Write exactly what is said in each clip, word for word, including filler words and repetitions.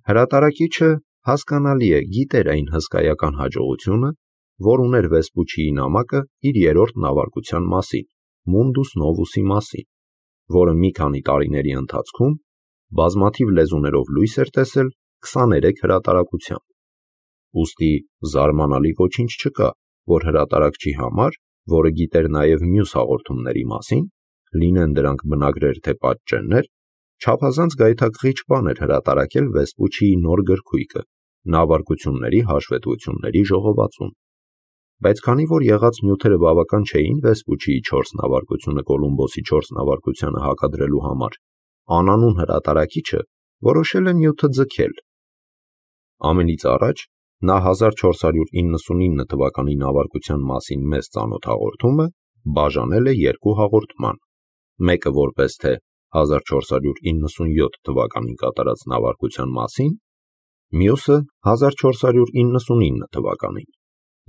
Հրատարակիչը հասկանալի է գիտեր այն հսկայական հաջողությունը, որ ուներ Վեսպուչիի նամակը իր երրորդ նավարկության մասին, Mundus Novus-ի մասին, որը մի քանի տարիների ընթացքում բազմաթիվ լեզուներով լույս էր տեսել քսաներեք հրատարակությամբ։ Ուստի զարմանալի ոչինչ չկա, որ հրատարակչի համար, որը գիտեր նաև մյուս հաղորդումների մասին, լինեն դրանք բնագրեր թե պատճեններ, չափազանց գայթակղիչ բան էր հրատարակել Վեսպուչիի նոր գրքույկը՝ նավարկությունների հաշվետվությունների ժողովածուն։ Բայց քանի որ եղած նյութերը բավական չէին Վեսպուչիի չորս նավարկությունը Կոլումբոսի չորս նավարկությանը հակադրելու համար, անանուն հրատարակիչը որոշել է նյութը ձգել։ Ամենից առաջ նա հազար չորս հարյուր իննսունինը թվականի նավարկության մասին մեզ ծանոթ հաղորդումը բաժանել է երկու հաղորդման, մեկը որպես թե հազար չորս հարյուր իննսունյոթ թվականին կատարած նավարկության մասին, մյուսը հազար չորս հարյուր իննսունինը թվականին,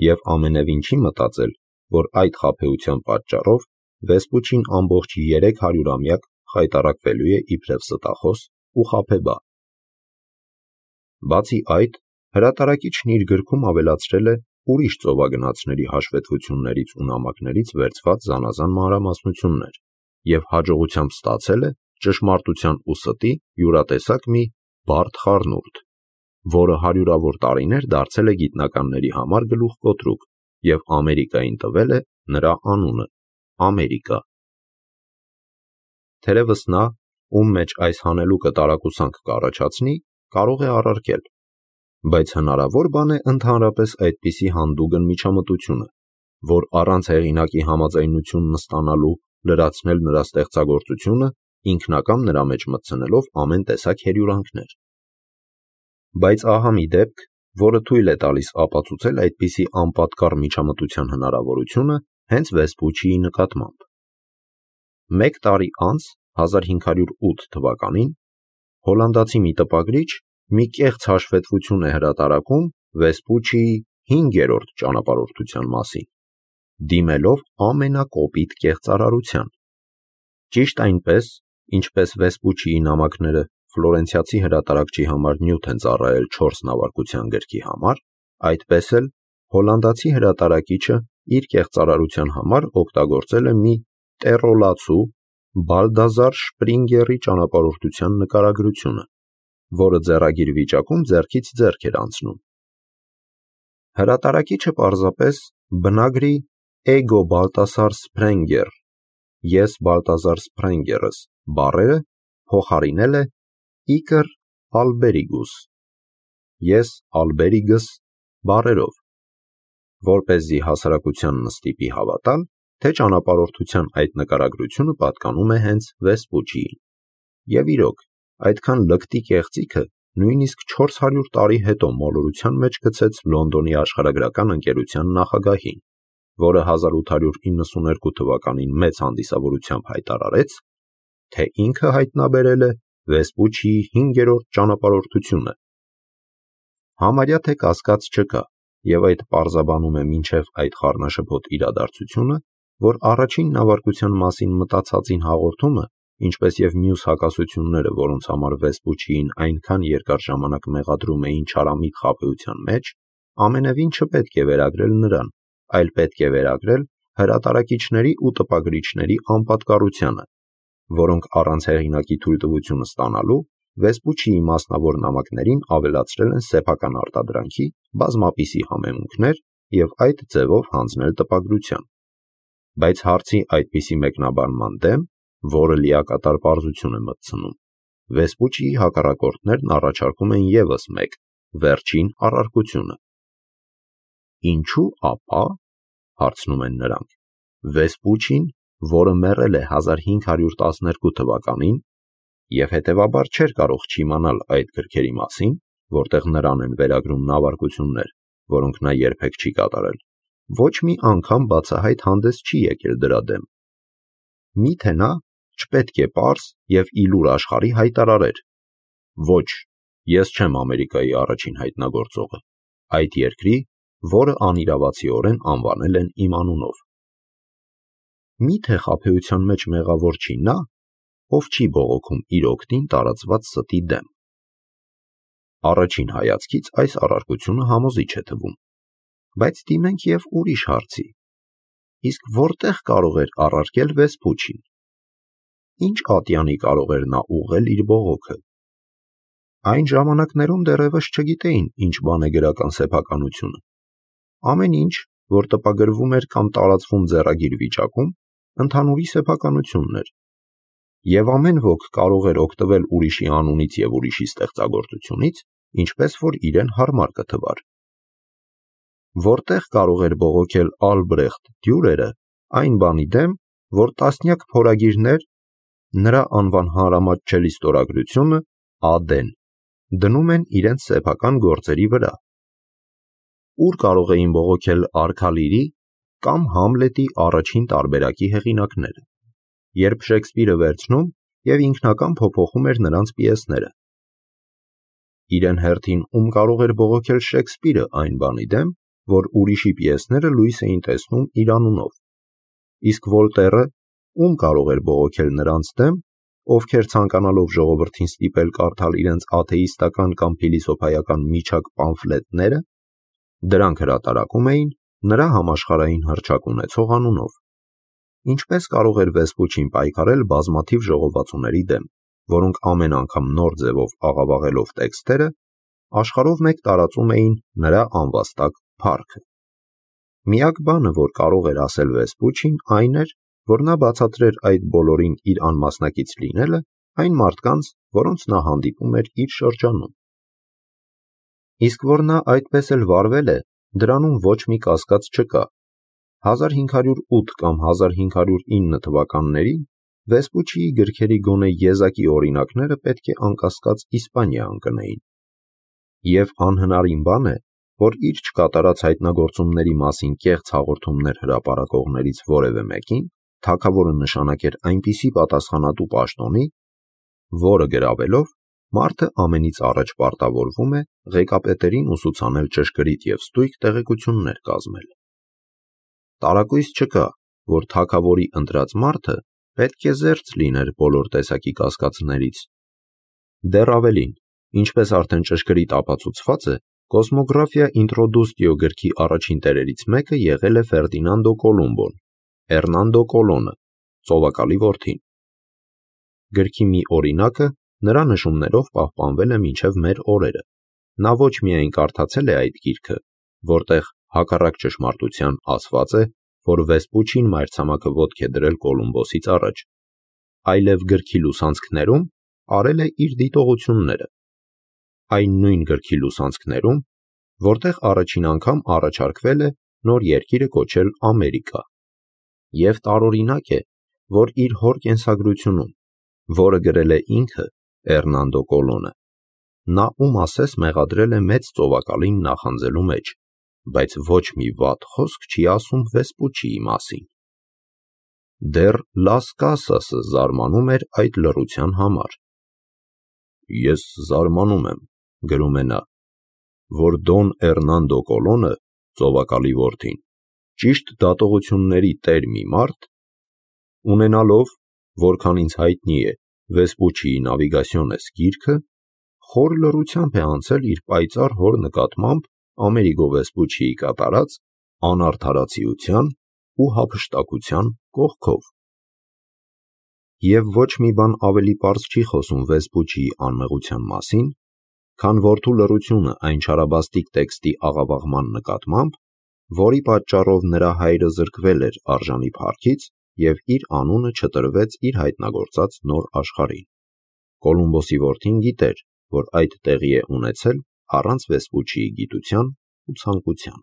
և ամենևին չի մտածել, որ այդ խաբեության պատճառով Վեսպուչին ամբողջ երեք հարյուրամյակ խայտառակվելու է իբրև ստախոս ու խաբեբա։ Բացի այդ, հրատարակիչն իր գրքում ավելացրել է ուրիշ ծովագնացների հաշվետվություններից ու նամակներից վերցված զանազան մանրամասնություններ և հաջողությամբ ստացել է ճշմարտության ու ստի յուրատեսակ մի բարդ խառնուրդ, որը հարյուրավոր տարիներ դարձել է գիտնականների համար գլուխկոտրուկ և Ամերիկային տվել է նրա անունը՝ Ամերիկա։ Թերևս նա, ում մեջ այս հանելուկը տարակուսանք կառաջացնի, կարող է առարկել, բայց հնարավոր բան է ընդհանրապես այդպիսի հանդուգն միջամտությունը, որ առանց հեղինակի համաձայնությունն ստանալու լրացնել նրա ստեղծագործությունը, ինքնակամ նրա մեջ մտցնելով ամեն տեսակ հերյուրանքներ։ Բայց ահա մի դեպք, որը թույլ է տալիս ապացուցել այդպիսի անպատկառ միջամտության հնարավորությունը հենց Վեսպուչիի նկատմամբ։ Մեկ տարի անց, հազար հինգ հարյուր ութ թվականին, հոլանդացի մի տպագրիչ մի կեղծ հաշվետվություն է հրատարակում Վեսպուչիի հինգերորդ ճանապարհորդության մասին, դիմելով ամենակոպիտ կեղծարարության։ Ճիշտ այնպես, ինչպես Վեսպուչիի նամակները ֆլորենցիացի հրատարակչի համար նյութ են ծառայել չորս նավարկության գրքի համար, այդպես էլ հոլանդացի հրատարակիչը իր կեղծարարության համար օգտագործել է մի տեռոլացու Բալդազար Շպրինգերի ճանապարհորդության նկարագրությունը, որը ձեռագիր վիճակում ձեռքից ձեռք էր անցնում։ Հրատարակիչը պարզապես բնագրի «Էգո Բալտասար Սփրենգեր» (Ես Բալտազար Սփրենգերս) բառերը փոխարինել է «Իկր Ալբերիգուս» (Ես Ալբերիգս) բառերով, որպեսզի հասարակությանն ստիպի հավատալ, թե ճանապարհորդության այդ նկարագրությունը պատկանում է հենց Վեսպուչիին։ Եվ իրոք, այդքան լկտի կեղծիքը նույնիսկ չորս հարյուր տարի հետո մոլորության մեջ գցեց Լոնդոնի աշխարհագրական ընկերության նախագահին, որը հազար ութ հարյուր իննսուներկու թվականին մեծ հանդիսավորությամբ հայտարարեց, թե ինքը հայտնաբերել է Վեսպուչիի հինգերորդ ճանապարհորդությունը։ Համարյա թե կասկած չկա, և այդ պարզաբանում է մինչև այդ խառնաշփոթ իրադարձությունը, որ առաջին նավարկության մասին մտածածին հաղորդումը, ինչպես և մյուս հակասությունները, որոնց համար Վեսպուչիին այնքան երկար ժամանակ մեղադրում էին չարամիտ խաբեության մեջ, ամենևին չպետք է վերագրել նրան, այլ պետք է վերագրել հրատարակիչների ու տպագրիչների անպատկառությանը, որոնք առանց հեղինակի թույլտվությունը ստանալու Վեսպուչիի մասնավոր նամակներին ավելացրել են սեփական արտադրանքի բազմապիսի համեմունքներ և այդ ձևով հանձնել տպագրության։ Բայց հարցի այդպիսի մեկնաբանման դեմ, որը լիակատար պարզություն է մտցնում, Վեսպուչիի հակառակորդներն առաջարկում են ևս մեկ վերջին առարկությունը։ Ինչու ապա, հարցնում են նրանք, Վեսպուչին, որը մեռել է հազար հինգ հարյուր տասներկու թվականին և հետևաբար չէր կարող չիմանալ այդ գրքերի մասին, որտեղ նրան են վերագրում նավարկություններ, որոնք նա երբեք չի կատարել, ոչ մի անգամ բացահայտ հանդես չի եկել դրա դեմ։ Մի՞թե նա չպետք է պարզ և ի լուր աշխարհի հայտարարեր. «Ոչ, ես չեմ Ամերիկայի առաջին հայտնագործողը, այդ երկրի, որը անիրավացիորեն անվանել են իմ անունով»։ Մի՞թե խաբեության մեջ մեղավոր չի նա, ով չի բողոքում իր օգտին տարածված ստի դեմ։ Առաջին հայացքից այս առարկությունը համոզիչ է թվում, բայց դիմենք և ուրիշ հարցի. իսկ որտեղ կարող էր առարկել Վեսպուչին։ Ինչ ատյանի կարող էր նա ուղղել իր բողոքը։ Այն ժամանակներում դեռևս չգիտեին, ինչ բան է գրական սեփականությունը։ Ամեն ինչ, որ տպագրվում էր կամ տարածվում ձեռագիր վիճակում, ընդհանուրի սեփականությունն էր, և ամեն ոք կարող էր օգտվել ուրիշի անունից և ուրիշի ստեղծագործությունից, ինչպես որ իրեն հարմար կթվար։ Որտեղ կարող էր բողոքել Ալբրեխտ Դյուրերը այն բանի դեմ, որ տասնյակ փորագիրներ, նրա անվան հանրամատչելի ստորագրությունը Ա.Դ.-ն, դնում են իրենց սեփական գործերի վրա։ Ուր կարող էին բողոքել Արքալիրի կամ Համլետի առաջին տարբերակի հեղինակները, երբ Շեքսպիրը վերցնում և ինքնական փոփոխում էր նրանց պիեսները։ Իրեն հերթին ում կարող էր բողոքել Շեքսպիրը այն բանի դեմ, որ ուրիշի պիեսները լույս էին տեսնում իր անունով, իսկ Վոլտերը ում կարող էր բողոքել նրանց դեմ, ովքեր ցանկանալով ժողովրդին ստիպել կարդալ իրենց աթեիստական կամ փիլիսոփայական միջակ պամֆլետները, դրանք հրատարակում էին նրա համաշխարհային հռչակ ունեցող անունով։ Ինչպես կարող էր Վեսպուչին պայքարել բազմաթիվ ժողովածուների դեմ, որոնք ամեն անգամ նոր ձևով աղավաղելով տեքստերը, աշխարհով մեկ տարածում էին նրա անվաստակ փառքը։ Միակ բանը, որ կարող էր ասել Վեսպուչին, այն էր, որ նա բացատրեր այդ բոլորին իր անմասնակից լինելը այն մարդկանց, որոնց նա հանդիպում էր իր շրջանում։ Իսկ որ նա այդպես էլ վարվել է, դրանում ոչ մի կասկած չկա։ հազար հինգ հարյուր ութ կամ հազար հինգ հարյուր ինը թվականներին Վեսպուչիի գրքերի գոնե եզակի օրինակները պետք է անկասկած Իսպանիա ընկնեին։ Եվ անհնարին բան է, որ իր չկատարած հայտնագործումների մասին կեղծ հաղորդումներ հրապարակողներից որևէ մեկին թագավորը նշանակեր այնպիսի պատասխանատու պաշտոնի, որը գրավելով մարդը ամենից առաջ պարտավորվում է ղեկապետերին ուսուցանել ճշգրիտ և ստույգ տեղեկություններ կազմել։ Տարակույս չկա, որ թագավորի ընտրած մարդը պետք է զերծ լիներ բոլոր տեսակի կասկածներից։ Դեռ ավելին, ինչպես արդեն ճշգրիտ ապացուցված է, Կոսմոգրաֆիա ինտրոդուստիո գրքի առաջին տերերից մեկը եղել է Ֆերդինանդո Կոլումբոն, Էրնանդո Կոլոնը, ծովակալի որդին։ Գրքի մի օրինակը նրա նշումներով պահպանվել է մինչև մեր օրերը։ Նա ոչ միայն կարդացել է այդ գիրքը, որտեղ հակառակ ճշմարտության ասված է, որ Վեսպուչին մայրցամաքը ոտք է դրել Կոլումբոսից առաջ, այլև գրքի լուսանցքներում արել է իր դիտողությունները։ Այն նույն գրքի լուսանցքներում, որտեղ առաջին անգամ առաջարկվել է նոր երկիրը կոչել Ամերիկա։ Եվ տարօրինակ է, որ իր հոր կենսագրությունում, որը գրել է ինքը Էրնանդո Կոլոնը, նա ում ասես մեղադրել է մեծ ծովակալին նախանձելու մեջ, բայց ոչ մի վատ խոսք չի ասում Վեսպուչիի մասին։ Դեռ Լաս Կասասը զարմանում էր այդ լռության համար։ Ես զարմանում եմ, գրում է նա, որ Դոն Էրնանդո Կոլոնը, ծովակալի որդին, ճիշտ դատողությունների տեր մի մարդ, ունենալով, որքան ինձ հայտնի է, Վեսպուչիի Նավիգասիոնես գիրքը, խոր լռությամբ է անցել իր պայծառ հոր նկատմամբ Ամերիգո Վեսպուչիի կատարած անարդարացիության ու հափշտակության կողքով։ Եվ ոչ մի բան ավելի պարզ չի խոսում Վեսպուչիի անմեղության մասին, քան որդու լռությունը այն չարաբաստիկ տեքստի աղավաղման նկատմամբ, որի պատճառով նրա հայրը զրկվել էր արժանի փառքից և իր անունը չտրվեց իր հայտնագործած նոր աշխարհին։ Կոլումբոսի որդին գիտեր, որ այդ տեղի է ունեցել առանց Վեսպուչիի գիտության ու ցանկության։